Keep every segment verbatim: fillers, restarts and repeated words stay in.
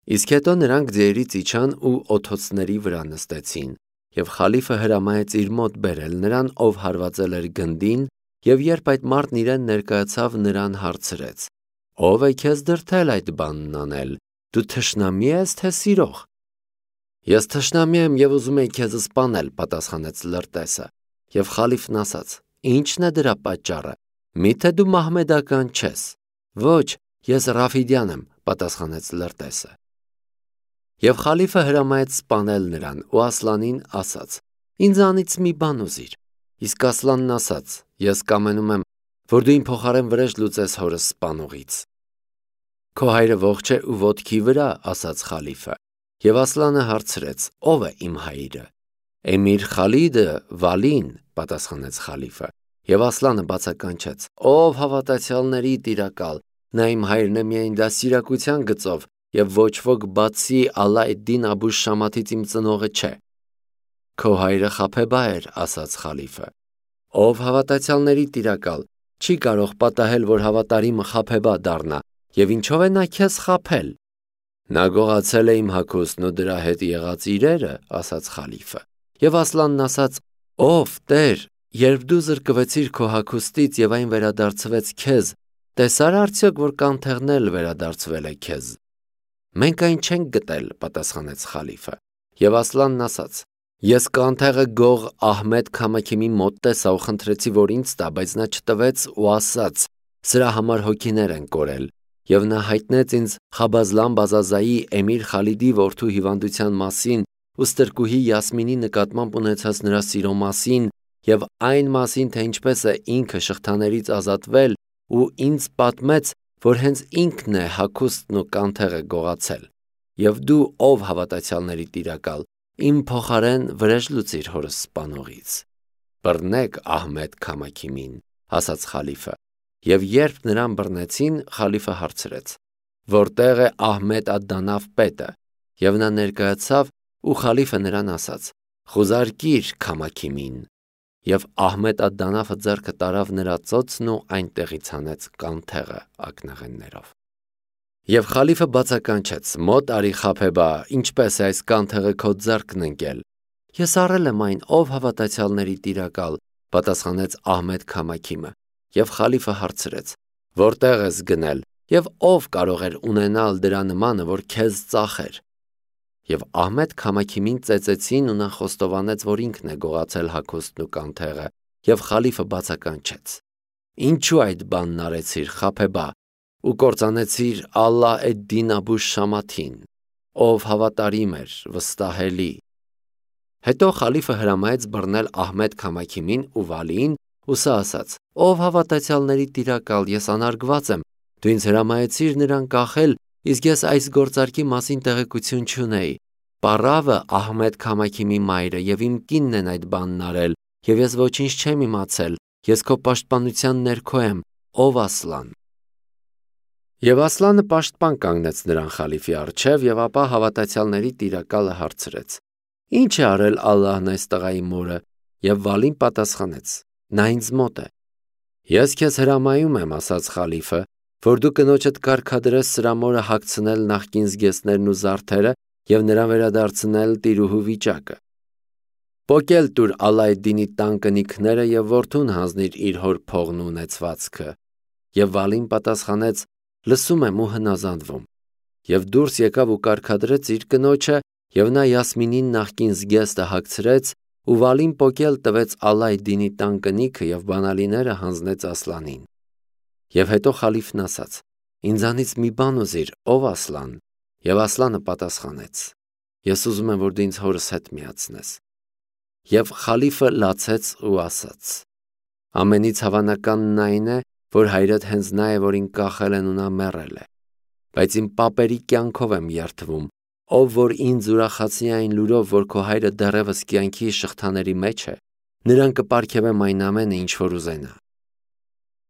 Իսկ հետո նրանք ձիերից իջան ու օթոցների վրա նստեցին, և խալիֆը հրամայեց իր մոտ բերել նրան, ով հարվածել էր գնդին, և երբ այդ մարդն իրեն ներկայացավ, նրան հարցրեց. «Ո՞վ է քեզ դրդել այդ բանն անել, դու թշնամի ես, թե սիրող»։ «Ես թշնամի եմ և ուզում էի քեզ սպանել», պատասխանեց լրտեսը, և խալիֆն ասաց. «Ի՞նչն է դրա պատճառը, միթե դու մահմեդական չես»։ «Ոչ, ես Ռաֆիդյան եմ», պատասխանեց լրտեսը։ Եվ խալիֆը հրամայեց սպանել նրան ու Ասլանին ասաց. «Ինձանից մի բան ուզիր»։ Իսկ Ասլանն ասաց. «Ես կամենում եմ, որ դու իմ փոխարեն վրեժ լուծես հորս սպանողից»։ «Քո հայրը ողջ է ու ոտքի վրա», ասաց խալիֆը։ Եվ Ասլանը հարցրեց. «Ո՞վ է իմ հայրը»։ «Էմիր Խալիդը Վալին», պատասխանեց խալիֆը։ Եվ Ասլանը բացականչեց. «Ով հավատացյալների տիրակալ, նա իմ հայրն է միայն դաստիարակության գծով, և ոչ ոք բացի Ալլա էդ-Դին Աբու Շամաթից իմ ծնողը չէ»։ «Քո հայրը Խափեբա էր», ասաց խալիֆը։ «Ով հավատացյալների տիրակալ, չի կարող պատահել, որ հավատարիմը Խափեբա դառնա, և ինչո՞վ է նա քեզ խաբել»։ «Նա գողացել է իմ հագուստն ու դրա հետ եղած իրերը», ասաց խալիֆը։ Եվ Ասլանն ասաց. «Ով Տեր, երբ դու զրկվեցիր քո հագուստից և այն վերադարձվեց քեզ, տեսա՞ր արդյոք, որ կանթեղն էլ վերադարձվել է քեզ»։ «Մենք այն չենք գտել», պատասխանեց խալիֆը։ Եվ Ասլանն ասաց. «Ես կանթեղը գող Ահմեդ Քամաքիմի մոտ տեսա ու խնդրեցի, որ ինձ տա, բայց նա չտվեց ու ասաց. սրա համար հոգիներ են կորել։ Եվ նա հայտնեց ինձ Խաբազլան Բազազայի Էմիր Խալիդի որդու հիվանդության մասին ու ստրկուհի Յասմինի նկատմամբ ունեցած նրա սիրո մասին և այն մասին, թե ինչպես է ինքը շղթաներից ազատվել, ու ինձ պատմեց, որ հենց ինքն է հագուստն ու կանթեղը գողացել։ Եվ դու, ով հավատացյալների տիրակալ, իմ փոխարեն վրեժ լուծիր հորս սպանողից»։ «Բռնեք Ահմեդ Քամաքիմին», ասաց խալիֆը։ Եվ երբ նրան բռնեցին, խալիֆը հարցրեց. «Որտե՞ղ է Ահմեդ ադ-Դանաֆ պետը»։ Եվ նա ներկայացավ, ու խալիֆը նրան ասաց. «Խուզարկիր Քամաքիմին»։ Եվ Ահմեդ ադ-Դանաֆը ձեռքը տարավ նրա ծոցն ու այնտեղից հանեց կանթեղը ակնաղեններով։ Եվ խալիֆը բացականչեց. «Մոտ արի Խափեբա, ինչպես է այս կանթեղը քո ձեռքն ընկել»։ «Ես առել եմ այն, ով հավատացյալների տիրակալ», պատասխանեց Ահմեդ Քամաքիմը։ Եվ խալիֆը հարցրեց. «Որտե՞ղ ես գնել, և ով կարող էր ունենալ դրա նմանը, որ քեզ ծախեր»։ Եվ Ահմեդ Քամաքիմին ծեծեցին ու նա խոստովանեց, որ ինքն է գողացել հագուստն ու կանթեղը, և խալիֆը բացականչեց. «Ինչու այդ բանն արեցիր, Խափեբա, ու կործանեցիր Ալլա էդ-Դին Աբու Շամաթին, ով հավատարիմ էր, վստահելի»։ Հետո խալիֆը հրամայեց բռնել Ահմեդ Քամաքիմին ու Վալիին, ու սա ասաց. «Ով հավատացյալների տիրակալ, ես անարգված եմ, դու ինձ հրամայեցիր նրան կախել, իսկ ես այս գործարքի մասին տեղեկություն չունեի։ Պառավը Ահմեդ Քամաքիմի մայրը և իմ կինն են այդ բանն արել, և ես ոչինչ չեմ իմացել, ես քո պաշտպանության ներքո եմ, ով Ասլան»։ Եվ Ասլանը պաշտպան կանգնեց նրան խալիֆի առջև, և ապա հավատացյալների տիրակալը հարցրեց. «Ի՞նչ է արել Ալլահն այս տղայի մորը»։ Եվ Վալին պատասխանեց. «Նա ինձ մոտ է»։ «Ես քեզ հրամայում եմ», ասաց խալիֆը, «որ դու կնոջդ կարգադրես սրա մորը հագցնել նախկին զգեստներն ու զարդերը և նրան վերադարձնել տիրուհու վիճակը։ Պոկել տուր Ալլա էդ-Դինի տան կնիքները և որդուն հանձնիր իր հոր փողն ու ունեցվածքը»։ Եվ Վալին պատասխանեց. «Լսում եմ ու հնազանդվում»։ Եվ դուրս եկավ ու կարգադրեց իր կնոջը, և նա Յասմինին նախկին զգեստը հագցրեց, ու Վալին պոկել տվեց Ալլա էդ-Դինի տան կնիքը և բանալիները հանձնեց Ասլանին։ Եվ հետո խալիֆն ասաց. «Ինձանից մի բան ուզիր, ով Ասլան»։ Եվ Ասլանը պատասխանեց. «Ես ուզում եմ, որ դու ինձ հորս հետ միացնես»։ Եվ խալիֆը լացեց ու ասաց. «Ամենից հավանականն այն է, որ հայրդ հենց նա է, որին կախել են ու նա մեռել է։ Բայց իմ պապերի կյանքով եմ երդվում, ով որ ինձ ուրախացնի այն լուրով, որ քո հայրը դեռևս կյանքի շղթաների մեջ է, նրան կպարգևեմ այն ամենը, ինչ որ ուզենա»։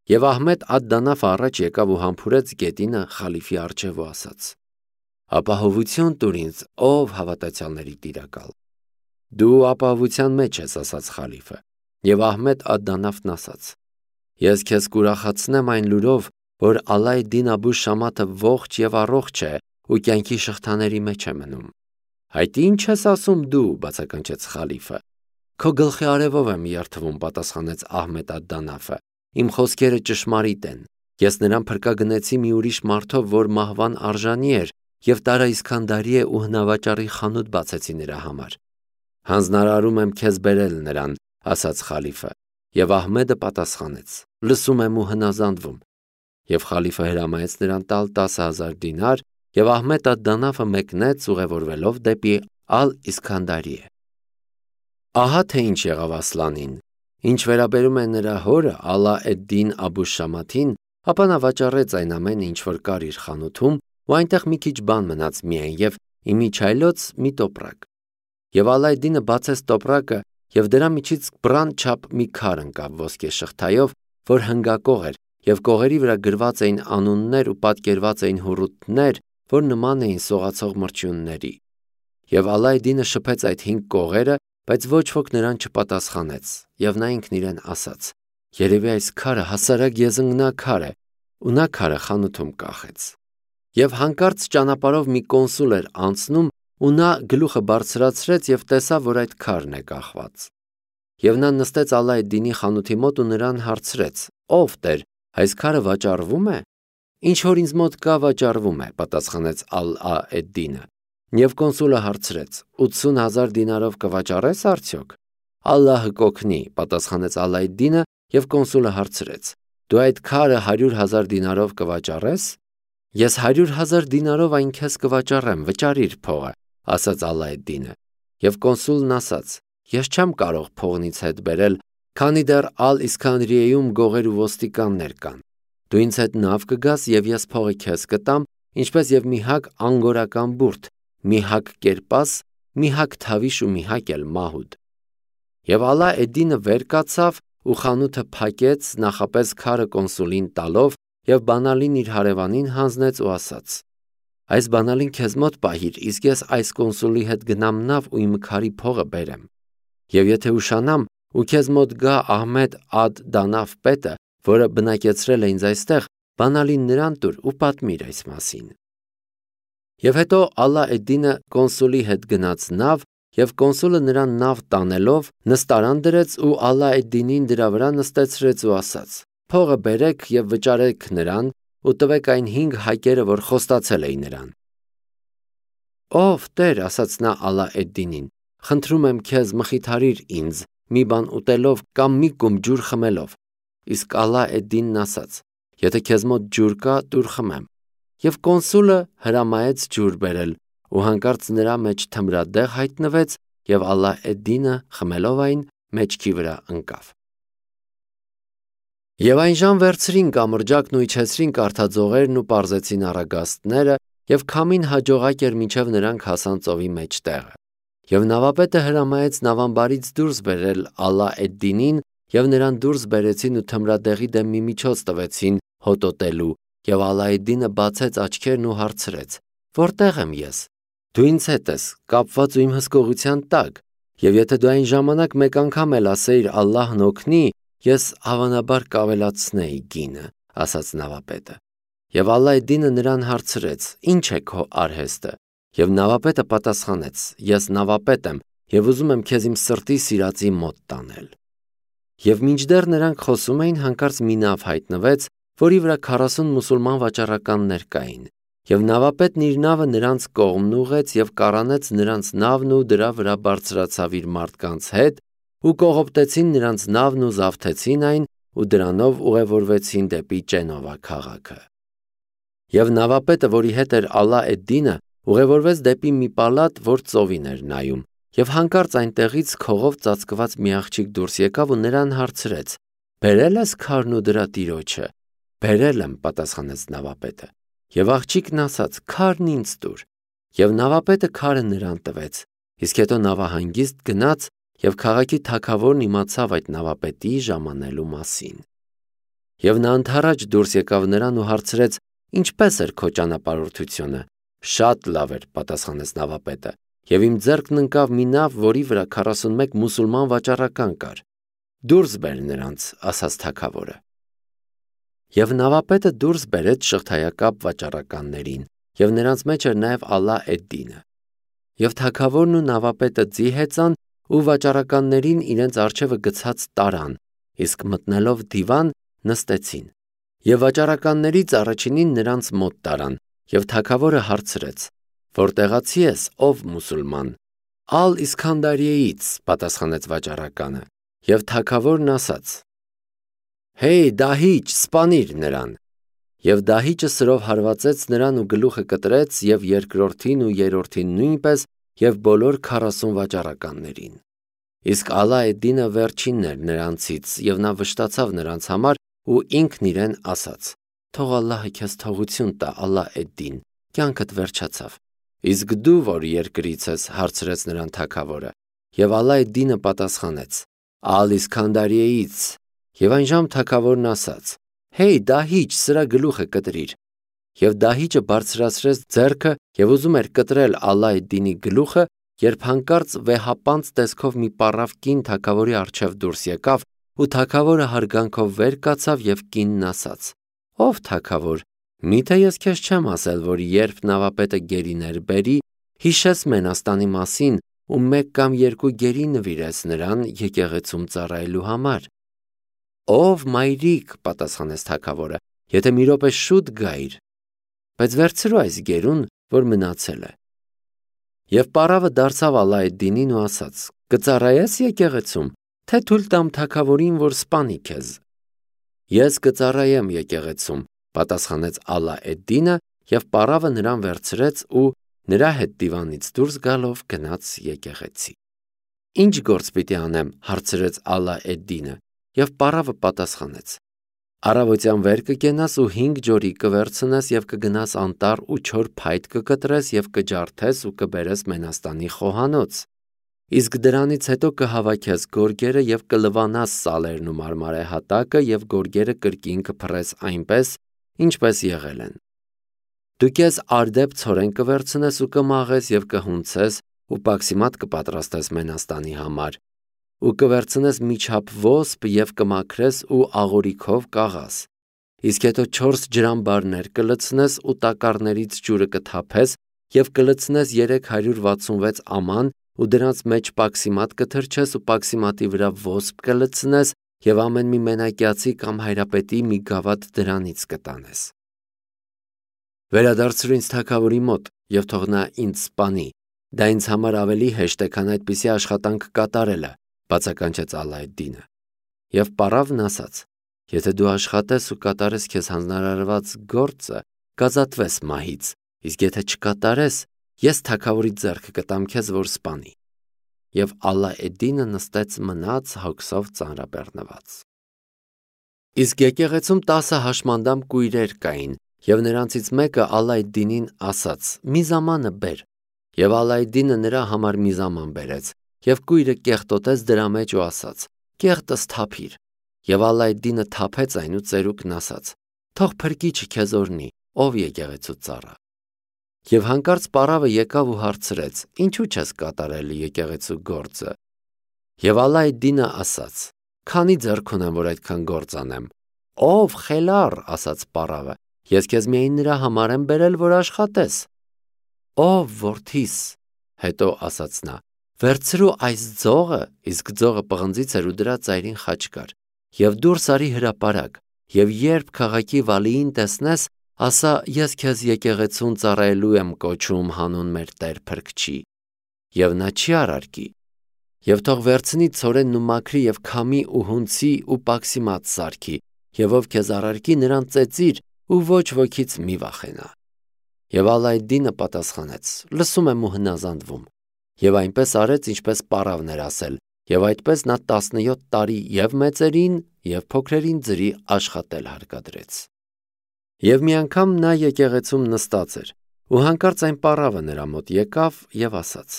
Եվ Ահմեդ ադ-Դանաֆը առաջ եկավ ու համբուրեց գետինը խալիֆի առջև ու ասաց. «Ապահովություն տուր ինձ, ով հավատացյալների տիրակալ»։ «Դու ապահովության մեջ ես», ասաց խալիֆը։ Եվ Ահմեդ ադ-Դանաֆն ասաց. «Ես քեզ կուրախացնեմ այն լուրով, որ Ալլա էդ-Դին Աբու Շամաթը ողջ և առողջ է ու կյանքի շղթաների մեջ է մնում։ Այդ ի՞նչ ես ասում դու, բացականչեց խալիֆը։ Քո գլխի արևով եմ երթվում, պատասխանեց Ահմեդ ալ-Դանաֆը։ Իմ խոսքերը ճշմարիտ են։ Ես նրան փրկագնեցի մի ուրիշ մարդով, որ մահվան արժանի էր, եւ տարա Իսքանդարիե ու հնավաճառի խանութ բացեցի նրա համար։ Հանձնարարում եմ քեզ բերել նրան, ասաց խալիֆը, եւ Ահմեդը պատասխանեց. լսում եմ ու հնազանդվում։ Եվ խալիֆը հրամայեց նրան տալ տասը հազար դինար, եւ Ահմեդ ալ-Դանաֆը մեկնեց ուղևորվելով դեպի Ալ-Իսքանդարիե։ Ահա թե ինչ եղավ Ասլանին։ Ինչ վերաբերում է նրա հորը Ալա էդ-Դին Աբու Շամաթին, ապա նա վաճառեց այն ամենը, ինչ որ կար իր խանութում, ու այնտեղ մի քիչ բան մնաց միայն եւ իմիջայլոց մի տոպրակ։ Եվ Ալայդինը բացեց տոպրակը, եւ դրա միջից բռան չափ մի քար ընկավ ոսկե շղթայով, որ հնգակող էր, եւ կողերի վրա գրված էին անուններ ու պատկերված էին հուռութներ, որ նման էին սողացող մրջյունների։ Եվ Ալայդինը շփեց այդ հինգ կողերը, բայց ոչ ոք նրան չպատասխանեց, եւ նա ինքն իրեն ասաց. երևի այս քարը հասարակ եզնգնաքար է, ու նա քարը խանութում կախեց։ Եվ հանկարծ ճանապարհով մի կոնսուլ էր անցնում, ու նա գլուխը բարձրացրեց եւ տեսավ, որ այդ քարն է կախված։ Եվ նա նստեց Ալայդինի խանութի մոտ ու նրան հարցրեց. «Ով Տեր, այս քարը վաճառվում է»։ «Ինչ որ ինձ մոտ կա, վաճառվում է», պատասխանեց Ալա-էդ-Դինը։ Եվ կոնսուլը հարցրեց. «ութսուն հազար դինարով կվաճառես արդյոք»։ «Ալլահը կօգնի», պատասխանեց Ալայդինը, եւ կոնսուլը հարցրեց. «Դու այդ քարը հարյուր հազար դինարով կվաճառես»։ «Ես հարյուր հազար դինարով այն քեզ կվաճառեմ, վճարիր փողը», ասաց Ալայդինը։ Եվ կոնսուլն ասաց. «Ես չեմ կարող փողնից հետ բերել, քանի դեռ Ալ-Իսքանդրիեում գողեր ու ոստիկաններ կան։ Դու ինձ հետ նավ կգաս, եւ ես փողը քեզ կտամ, ինչպես եւ մի հակ անգորական բուրդ, մի հակ կերպաս, մի հակ թավիշ ու մի հակ էլ մահուդ»։ Եվ Ալա-էդ-Դինը վեր կացավ ու խանութը փակեց, նախապես քարը կոնսուլին տալով, եւ բանալին իր հարևանին հանձնեց ու ասաց. «Այս բանալին քեզ մոտ պահիր, իսկ ես այս կոնսուլի հետ գնամ նավ ու իմ քարի փողը բերեմ։ Եվ եթե ուշանամ ու քեզ մոտ գա Ահմեդ ալ-Դանաֆ պետը, որը բնակեցրել է ինձ այստեղ, բանալին նրան տուր ու պատմիր այս մասին»։ Եվ հետո Ալա-էդ-Դինը կոնսուլի հետ գնաց նավ, եւ կոնսուլը նրան նավ տանելով նստարան դրեց ու Ալա-էդ-Դինին դրա վրա նստեցրեց ու ասաց. «Փողը բերեք եւ վճարեք նրան ու տվեք այն հինգ հակերը, որ խոստացել էի նրան»։ «Ով Տեր», ասաց նա Ալա-էդ-Դինին, «խնդրում եմ քեզ, մխիթարիր ինձ մի բան ուտելով կամ մի կում ջուր խմելով»։ Իսկ Ալա-էդ-Դինն ասաց. «Եթե քեզ մոտ ջուր կա, տուր խմեմ»։ Եվ կոնսուլը հրամայեց ջուր բերել, ու հանկարծ նրա մեջ թմրադեղ հայտնվեց, եւ Ալա-էդ-Դինը խմելով այն, մեջքի վրա ընկավ։ Եվ այն ժամ վերցրին կամրջակն ու իջեցրին կարթաձողերն ու պարզեցին առագաստները, եւ քամին հաջողակ էր մինչև նրանք հասան ծովի մեջտեղը։ Եվ նավապետը հրամայեց նավամբարից դուրս բերել Ալա-էդ-Դինին, եւ նրան դուրս բերեցին ու թմրադեղի դեմ մի միջոց տվեցին հոտոտելու, եւ Ալա-էդ-Դինը բացեց աչքերն ու հարցրեց. «Որտեղ եմ ես»։ «Դու ինձ հետ ես, կապված ու իմ հսկողության տակ, եւ եթե դու այն ժամանակ մեկ անգամ էլ ասեիր Ալլահն օգնի, ես հավանաբար կավելացնեի գինը», ասաց նավապետը։ Եվ Ալա-էդ-Դինը նրան հարցրեց. «Ինչ է քո արհեստը»։ Եվ նավապետը պատասխանեց. «Ես նավապետ եմ եւ ուզում եմ քեզ իմ սրտի սիրածի մոտ տանել»։ Եվ մինչդեռ նրանք խոսում էին, հանկարծ մի նավ հայտնվեց, որի վրա քառասուն մուսուլման վաճառականներ կային։ Եվ նավապետն իր նավը նրանց կողմն ուղղեց եւ կառանեց նրանց նավն ու դրա վրա բարձրացավ իր մարդկանց հետ, ու կողոպտեցին նրանց նավն ու զավթեցին այն, ու դրանով ուղևորվեցին դեպի Ճենովա քաղաքը։ Եվ նավապետը, որի հետ էր Ալա-էդ-Դինը, ուղևորվեց դեպի մի պալատ, որ ծովին էր նայում, եւ հանկարծ այնտեղից քողով ծածկված մի աղջիկ դուրս եկավ ու նրան հարցրեց. «Բերել ես քարն ու դրա տիրոջը»։ «Բերել եմ», պատասխանեց նավապետը։ Եվ աղջիկն ասաց. «Քարն ինձ տուր»։ Եվ նավապետը քարը նրան տվեց։ Իսկ հետո նավահանգիստ գնաց, եւ քաղաքի թագավորն իմացավ այդ նավապետի ժամանելու մասին։ Եվ նա ընդառաջ դուրս եկավ նրան ու հարցրեց. «Ինչպե՞ս էր քո ճանապարհորդությունը»։ «Շատ լավ էր», պատասխանեց նավապետը, «եւ իմ ձեռքն ընկավ մի նավ, որի վրա քառասունմեկ մուսուլման վաճառական կար»։ «Դուրս բեր նրանց», ասաց թագավորը։ Եվ նավապետը դուրս բերեց շղթայակապ վաճառականներին, և նրանց մեջ էր նաև Ալլա էդ-Դինը։ Եվ թագավորն ու նավապետը ձի հեծան ու վաճառականներին իրենց առջևը գցած տարան, իսկ մտնելով դիվան նստեցին։ Եվ վաճառականներից առաջինին նրանց մոտ տարան, և թագավորը հարցրեց. «Որտեղացի ես, ով մուսուլման»։ «Ալ-Իսքանդարիեից», պատասխանեց վաճառականը, և թագավորն ասաց. «Հեյ, դահիճ, սպանիր նրան»։ Եվ դահիճը սրով հարվածեց նրան ու գլուխը կտրեց և երկրորդին ու երրորդին նույնպես և բոլոր քառասուն վաճառականներին։ Իսկ Ալլա էդ-Դինը վերջինն էր նրանցից, և նա վշտացավ նրանց համար ու ինքն իրեն ասաց. «Թող Ալլահը քեզ թողություն տա, Ալլա էդ-Դին, կյանքդ վերջացավ»։ «Իսկ դու որ երկրից ես», հարցրեց նրան թագավորը։ Եվ Ալլա էդ-Դինը պատասխանեց. «Ալ-Իսքանդարիեից»։ Եվ այնժամ թագավորն ասաց. «Հեյ, դահիճ, սրա գլուխը կտրիր»։ Եվ դահիճը բարձրացրեց ձեռքը և ուզում էր կտրել Ալլա էդ-Դինի գլուխը, երբ հանկարծ վեհապանծ տեսքով մի պառավ կին թագավորի առջև դուրս եկավ, ու թագավորը հարգանքով վեր կացավ և կինն ասաց. «Ով թագավոր, միթե ես քեզ չեմ ասել, որ երբ նավապետը գերիներ բերի, հիշես Մենաստանի մասին ու մեկ կամ երկու գերի նվիրես նրան եկեղեցում ծառայելու համար»։ «Ով մայրիկ», պատասխանեց թագավորը, «եթե մի րոպե շուտ գայիր, բայց վերցրու այս գերուն, որ մնացել է»։ Եվ պառավը դարձավ Ալլա էդ-Դինին ու ասաց. «Կծառայե՞ս եկեղեցում, թե թույլ տամ թագավորին, որ սպանի քեզ»։ «Ես կծառայեմ եկեղեցում», պատասխանեց Ալլա էդ-Դինը, և պառավը նրան վերցրեց ու նրա հետ դիվանից դուրս գալով գնաց եկեղեցի։ «Ի՞նչ գործ պիտի անեմ», հարցրեց Ալլա էդ-Դինը, և պառավը պատասխանեց. «Առավոտյան վեր կկենաս ու հինգ ջորի կվերցնես և կգնաս անտառ ու չոր փայտ կկտրես և կջարդես ու կբերես Մենաստանի խոհանոց։ Իսկ դրանից հետո կհավաքես գորգերը և կլվանաս սալերն ու մարմարե հատակը և գորգերը կրկին կփռես այնպես, ինչպես եղել են։ Դու քեզ արդեպ ցորեն կվերցնես ու կմաղես և կհունցես ու պաքսիմատ կպատրաստես Մենաստանի համար, ու կվերցնես մի չափ ոսպ և կմաքրես ու աղորիքով կաղաս։ Իսկ հետո չորս ջրամբարներ կլցնես ու տակառներից ջուրը կթափես և կլցնես երեք հարյուր վաթսունվեց աման ու դրանց մեջ պաքսիմատ կթրջես ու պաքսիմատի վրա ոսպ կլցնես և ամեն մի մենակյացի կամ հայրապետի մի գավաթ դրանից կտանես։ Վերադարձրու ինձ թագավորի մոտ և թող նա ինձ սպանի, դա ինձ համար ավելի հեշտ է, քան այդպիսի աշխատանք կատարելը, բացականչեց Ալլա էդ-Դինը։ Եվ պառավն ասաց. «Եթե դու աշխատես ու կատարես քեզ հանձնարարված գործը, կազատվես մահից, իսկ եթե չկատարես, ես թագավորի ձեռքը կտամ քեզ, որ սպանի»։ Եվ Ալլա էդ-Դինը նստեց մնաց հոգսով ծանրաբեռնված։ Իսկ եկեղեցում տասը հաշմանդամ կույրեր կային, և նրանցից մեկը Ալլա էդ-Դինին ասաց. «Մի զամանը բեր»։ Եվ Ալլա էդ-Դինը նրա համար մի զաման բերեց, և կույրը կեղտոտեց դրա մեջ ու ասաց. «Կեղտս թափիր»։ Եվ Ալլա էդ-Դինը թափեց այն ու ծերուկն ասաց. «Թող փրկիչը քեզ օրհնի, ով եկեղեցու ծառա»։ Եվ հանկարծ պառավը եկավ ու հարցրեց. «Ինչու՞ չես կատարել եկեղեցու գործը»։ Եվ Ալլա էդ-Դինը ասաց. «Քանի՞ ձեռք ունեմ, որ այդքան գործ անեմ»։ «Ով խելառ», ասաց պառավը, «ես քեզ միայն նրա համար եմ բերել, որ աշխատես»։ «Ով որդիս», հետո ասաց նա, «վերցրու այս ձողը», իսկ ձողը պղնձից էր ու դրա ծայրին խաչ կար, «և դուրս արի հրապարակ, և երբ քաղաքի վալիին տեսնես, ասա՝ ես քեզ եկեղեցուն ծառայելու եմ կոչում հանուն մեր Տեր Փրկչի, և նա չի արարկի։ Եվ թող վերցնի ցորենն ու մաքրի և քամի ու հունցի ու պաքսիմատ սարքի, և ով քեզ առարկի, նրան ծեծիր ու ոչ ոքից մի վախենա»։ Եվ Ալլա էդ-Դինը պատասխանեց. «Լսում եմ ու հնազանդվում»։ Եվ այնպես արեց, ինչպես պառավն էր ասել, և այդպես նա տասնյոթ տարի և մեծերին, և փոքրերին ձրի աշխատել հարկադրեց։ Եվ մի անգամ նա եկեղեցում նստած էր, ու հանկարծ այն պառավը նրա մոտ եկավ և ասաց.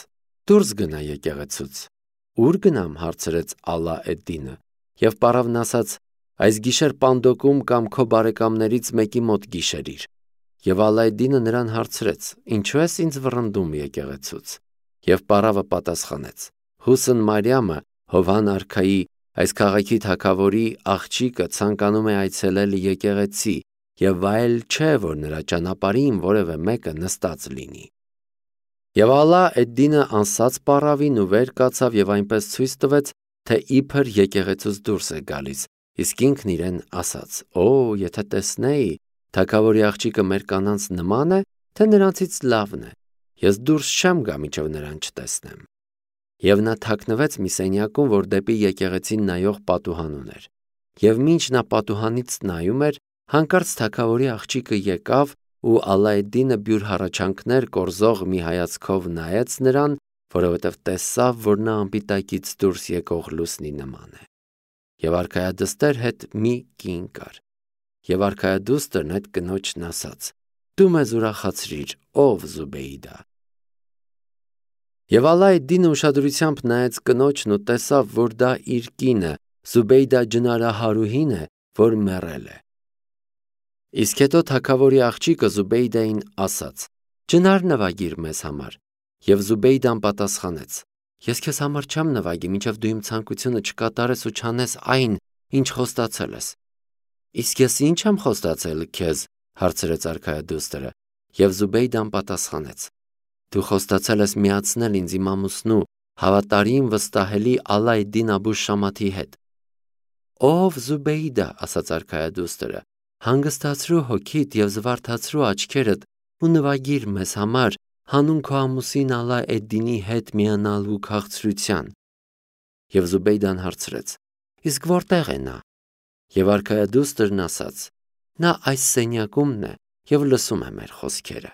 «Դուրս գնա եկեղեցուց»։ «Ո՞ւր գնամ», հարցրեց Ալլա էդ-Դինը։ Եվ պառավն ասաց. «Այս գիշեր պանդոկում կամ քո բարեկամներից մեկի մոտ գիշերիր»։ Եվ Ալլա էդ-Դինը նրան հարցրեց. «Ինչո՞ւ ես ինձ վռնդում եկեղեցուց»։ Եվ պառավը պատասխանեց. «Հուսն Մարիամը, Հովհան արքայի, այս քաղաքի թագավորի աղջիկը, ցանկանում է այցելել եկեղեցի եւ վայել չէ, որ նրա ճանապարհին որևէ մեկը նստած լինի։ Եվ Ալա Էդ-Դինը անսած պառավին ու վեր կացավ եւ այնպես ցույց տվեց, թե իբր եկեղեցուց դուրս է գալիս, իսկ ինքն իրեն ասաց. «Օ, եթե տեսնեի, թագավորի աղջիկը մեր կանանց նման է, թե նրանցից լավն է, ես դուրս չեմ գա մինչև նրան չտեսնեմ»։ Եվ նա թաքնվեց մի սենյակում, որ դեպի եկեղեցին նայող պատուհան ուներ։ Եվ մինչ նա պատուհանից նայում էր, հանկարծ թագավորի աղջիկը եկավ ու Ալա Էդ-Դինը բյուր հառաչանքներ կորզող մի հայացքով նայեց նրան, որովհետև տեսավ, որ նա անպիտակից դուրս եկող լուսնի նման է։ Եվ արքայադստեր հետ մի կին կար։ Եվ արքայադուստրն այդ կնոջն ասաց. «Դու մեզ ուրախացրիր, ով Զուբեյդա»։ Եվ Ալա Էդ-Դինը ուշադրությամբ նայեց կնոջն ու տեսավ, որ դա իր կինը, Զուբեյդա ջնարահարուհին է, որ մեռել է։ Իսկ հետո թագավորի աղջիկը Զուբեյդային ասաց. «Ջնար նվագիր մեզ համար»։ Եվ Զուբեյդան պատասխանեց. «Ես քեզ համար չեմ նվագի, մինչև դու իմ ցանկությունը չկատարես ու չանես այն, ինչ խոստացել ես»։ «Իսկ ես ի՞նչ եմ խոստացել քեզ», հարցրեց արքայադուստրը։ Եվ Զուբեյդան պատասխանեց. «Դու խոստացել ես միացնել ինձ իմ ամուսնու, հավատարիմ վստահելի Ալա Էդ-Դին Աբու Շամաթի հետ»։ «Ով Զուբեյդա», ասաց արքայադուստրը, «հանգստացրու հոգիդ և զվարթացրու աչքերդ ու նվագիր մեզ համար հանուն քո ամուսին Ալա Էդ-Դինի հետ միանալու քաղցրության»։ Եվ Զուբեյդան հարցրեց. «Իսկ որտե՞ղ է նա»։ Եվ արքայադուստրն ասաց. «Նա այս սենյակումն է և լսում է մեր խոսքերը»։